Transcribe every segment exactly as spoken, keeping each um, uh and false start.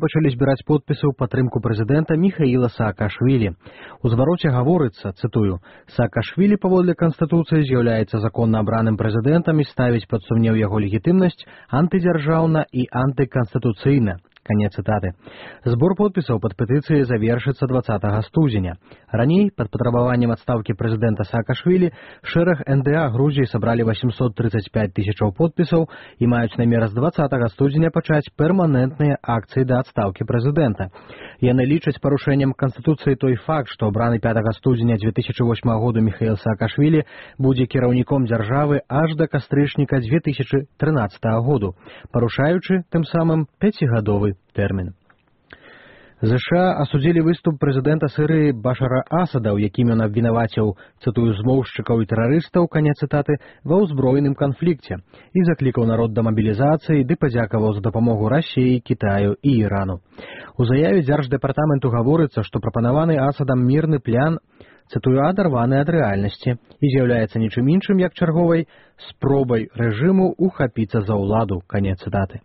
пачалі збіраць подпісы ў падтрымку прэзідэнта Міхаіла Саакашвілі. У звароце гаворыцца, цытую, «Саакашвілі паводле Канстытуцыі з'яўляецца законна абраным прэзідэнтам і ставіць пад сумнеў яго легітымнасць антыдзяржаўна і антыканстытуцыйна». Конец цитаты. Сбор подписаў под петыцыяй завершыцца двадцатага студзеня. Раней, под патрабаваннем адстаўкі прэзідэнта Саакашвілі, шэраг эн дэ а Грузіі сабралі восемьсот тридцать пять тысячаў подпісаў і маюць намер з двадцатага студзеня пачаць перманентныя акцыі да адстаўкі прэзідэнта. Яны лічаць парушэннем Канстытуцыі той факт, што абраны пятага студзеня две тысячи восьмага году Міхаіл Саакашвілі будзе кіраўніком дзяржавы аж да кастрычніка две тысячи трынаццатага году, парушаючы тым самым пяцігадовы тэрмін. ЗША асудзілі выступ прэзідэнта Сірыі Башара Асада, у якім ён абвінаваціў, цытую, змоўшчыкаў і тэрарыстаў, канец цытаты, ва ўзброеным канфлікце і заклікаў народ да мабілізацыі ды падзякаваў за дапамогу Расіі, Кітаю і Ірану. У заяве дзярждэпартаменту гаворыцца, што прапанаваны Асадам мірны план, цытую, адарваны ад рэальнасці і з'яўляецца нічым іншым, як чарговай спробай рэжыму ухапіцца за ўладу, канец цытаты.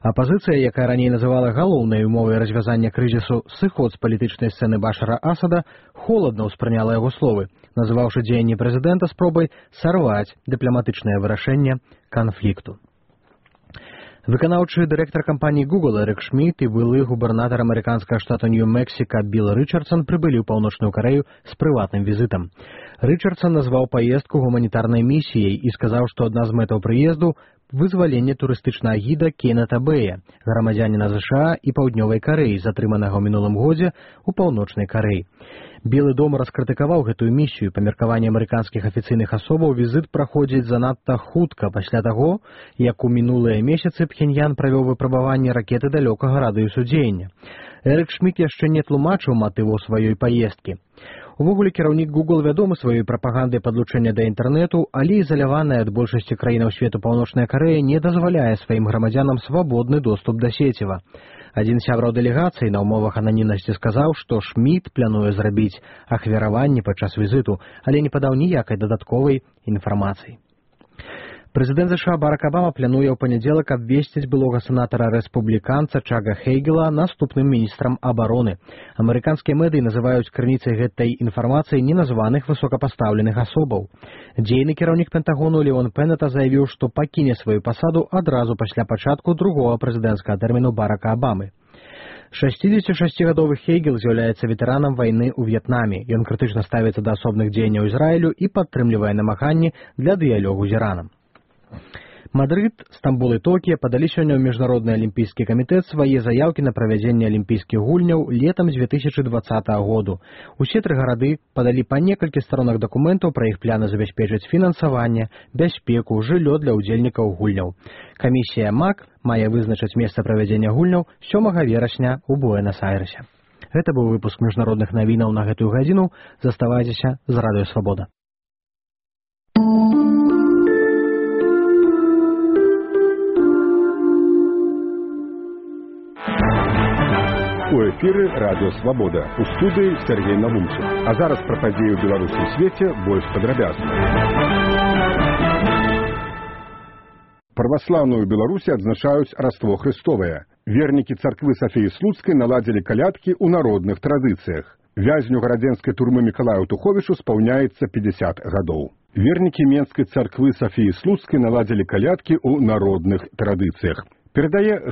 Апазіцыя, якая раней называла галоўнай умовай развязання крызісу сыход з палітычнай сцэны Башара Асада, холадна ўспрыняла яго словы, называўшы дзеянні прэзідэнта спробай сарваць дыпламатычнае вырашэнне канфлікту. Выканаўчы дырэктар кампаніі Google Эрік Шмідт і былы губернатар амерыканскага штата Нью-Мексіка Білл Рычардсон прыбылі ў Паўночную Карэю з прыватным візітам. Рычардсон назваў паездку гуманітарнай місіяй і сказаў, што адна з мэтаў прыезду вызваленне турыстычнага гіда Кеннета Бэя, грамадзяніна ЗША і Паўднёвай Карэі, затрыманага ў мінулым годзе ў Паўночнай Карэі. Белы дом раскрытыкаваў гэтую місію. Па меркаванні амерыканскіх афіцыйных асобаў візіт праходзіць занадта хутка пасля таго, як у мінулыя месяцы Пхеньян правёў выпрабаванне ракеты далёкага радыусу дзеяння. Эрік Шмідт яшчэ не тлумачыў матыву сваёй паездкі. Увогуле, кіраўнік Google вядомы сваёй прапагандай падлучэння да інтэрнэту, але ізаляваная ад большасці краінаў свету Паўночная Карэя не дазваляе сваім грамадзянам свабодны доступ да сеціва. Адзін з сябраў дэлегацыі на ўмовах ананімнасці сказаў, што Шмідт плануе зрабіць ахвяраванне падчас візіту, але не падаў ніякай дадатковай інфармацыі. Прэзідэнт ЗША Барак Абама плануе ў панядзелак абвесціць былога сенатара-рэспубліканца Чага Хейгела наступным міністрам абароны. Амерыканскія медыі называюць крыніцай гэтай інфармацыі неназваных высокапастаўленых асобаў. Дзейны кіраўнік Пентагону Леон Пеннета заявіў, што пакіне сваю пасаду адразу пасля пачатку другога прэзідэнцкага тэрміну Барака Абамы. шасцідзесяцішасцігадовы Хейгел з'яўляецца ветэранам вайны ў В'етнаме. Ён крытычна ставіцца да асобных дзеянняў Ізраілю і падтрымлівае намаганні для дыялогу з Іранам. Мадрид, Стамбул і Токія падалі сёння ў Міжнародны алімпійскі камітэт свае заяўкі на правядзенне алімпійскіх гульняў летам две тысячи двадцатага году. Усе тры гарады падалі па некалькі старонак дакументаў пра іх пляны забяспечыць фінансаванне, бяспеку, жыллё для ўдзельнікаў гульняў. Камісія МАК мае вызначыць месца правядзення гульняў сёмага верасня ў Буэнас-Айрэсе. Гэта быў выпуск міжнародных навінаў на гэтую гадзіну. Заставайцеся з Радыё Свабода. У эфіры Радыё Свабода. У студыі Сергей Навумчык. А зараз пра падзеі ў Беларусі і свеце больш падрабязна. Праваслаўную Беларусі адзначаюць Раство Хрыстовае. Вернікі царквы Сафіі Слуцкай наладзілі калядкі ў народных традыцыях. Вязню гарадзенскай турмы Мікалаю Туховічу спаўняецца пятьдесят гадоў. Вернікі Менскай царквы Сафіі Слуцкай наладзілі калядкі ў народных традыцыях. Перадае